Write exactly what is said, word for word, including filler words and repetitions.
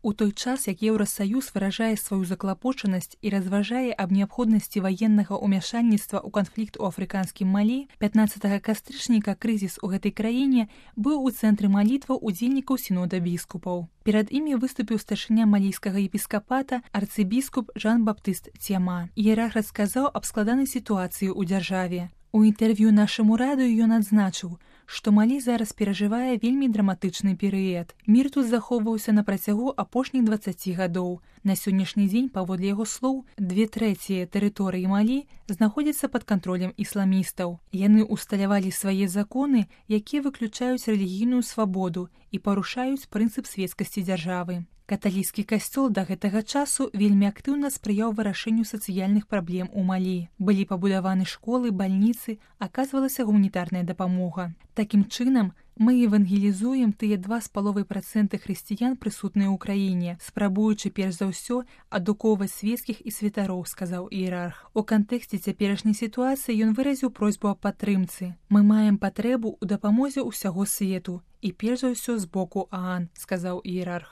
У той час, як Еўрасаюз выражае сваю заклапочанасць і разважае аб неабходнасці ваеннага ўмяшальніцтва ў канфлікт у афрыканскім Малі, пятнаццатага кастрычніка крызіс у гэтай краіне быў у цэнтры малітваў удзельнікаў сінода біскупаў. Перад імі выступіў старшыня малійскага епіскапата арцыбіскуп Жан-Баптыст Цема. Іерарх расказаў аб складанай сітуацыі ў дзяржаве. У інтэрв'ю нашаму радыё ён адзначыў, што Малі зараз перажывае вельмі драматычны перыяд. Мір тут захоўваўся на працягу апошніх дваццаці гадоў. На сённяшні дзень, паводле яго слоў, две трэція тэрыторыі Малі знаходзяцца пад кантролем ісламістаў. Яны ўсталявалі свае законы, якія выключаюць рэлігійную свабоду і парушаюць прынцып свецкасці дзяржавы. Каталіцкі касцёл да гэтага часу вельмі актыўна спрыяў вырашэнню сацыяльных праблем у Малі. Былі пабудаваны школы, бальніцы, аказвалася гуманітарная дапамога. Такім чынам, мы евангелізуем тыя два з паловай працэнты хрысціян, прысутныя ў краіне, спрабуючы перш за ўсё адукоўваць свецкіх і святароў, сказаў іерарх. У кантэксце цяперашняй сітуацыі ён выразіў просьбу аб падтрымцы. Мы маем патрэбу ў дапамозе ўсяго свету і перш за ўсё з боку ААН, сказаў іерарх.